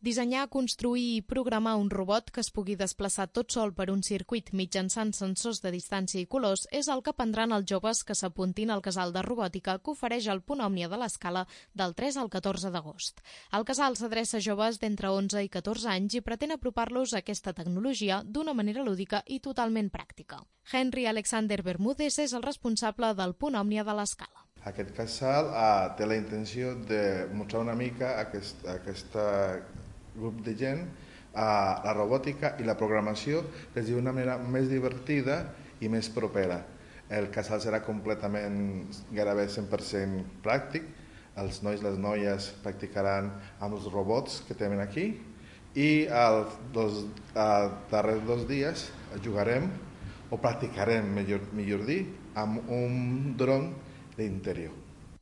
Dissenyar, construir i programar un robot que es pugui desplaçar tot sol per un circuit mitjançant sensors de distància i colors és el que aprendran els joves que s'apuntin al casal de robòtica que ofereix el Punt Òmnia de l'Escala del 3 al 14 d'agost. El casal s'adreça a joves d'entre 11 i 14 anys i pretén apropar-los a aquesta tecnologia d'una manera lúdica i totalment pràctica. Henry Alexander Bermúdez és el responsable del Punt Òmnia de l'Escala. Aquest casal té la intenció de mostrar una mica a aquest grup de gent la robòtica i la programació des d'una manera més divertida i més propera. El casal serà completament, gairebé 100% pràctic. Els nois i les noies practicaran amb els robots que tenen aquí i els darrers 2 dies jugarem o practicarem, millor dir, amb un dron d'interior.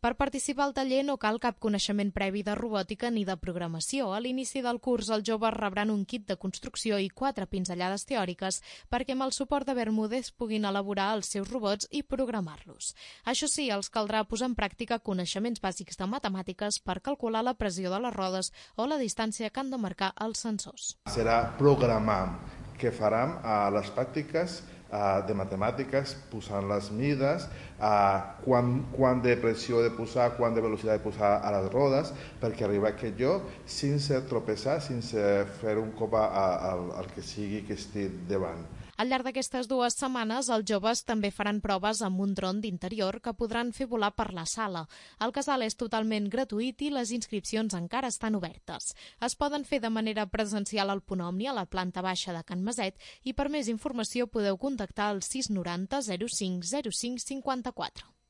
Per participar al taller no cal cap coneixement previ de robòtica ni de programació. A l'inici del curs els joves rebran un kit de construcció i 4 pinzellades teòriques perquè amb el suport de Bermúdez puguin elaborar els seus robots i programar-los. Això sí, els caldrà posar en pràctica coneixements bàsics de matemàtiques per calcular la pressió de les rodes o la distància que han de marcar els sensors. Serà programar que farem a les pràctiques de matemàtiques, posant les mides, quant de pressió de posar, quant de velocitat de posar a les rodes, perquè arribar a aquest lloc sense tropeçar, sense fer un cop al que sigui que estigui davant. Al llarg d'aquestes 2 setmanes, els joves també faran proves amb un dron d'interior que podran fer volar per la sala. El casal és totalment gratuït i les inscripcions encara estan obertes. Es poden fer de manera presencial al Punt Òmnia, a la planta baixa de Can Maset, i per més informació podeu contactar al 690 05 05 54.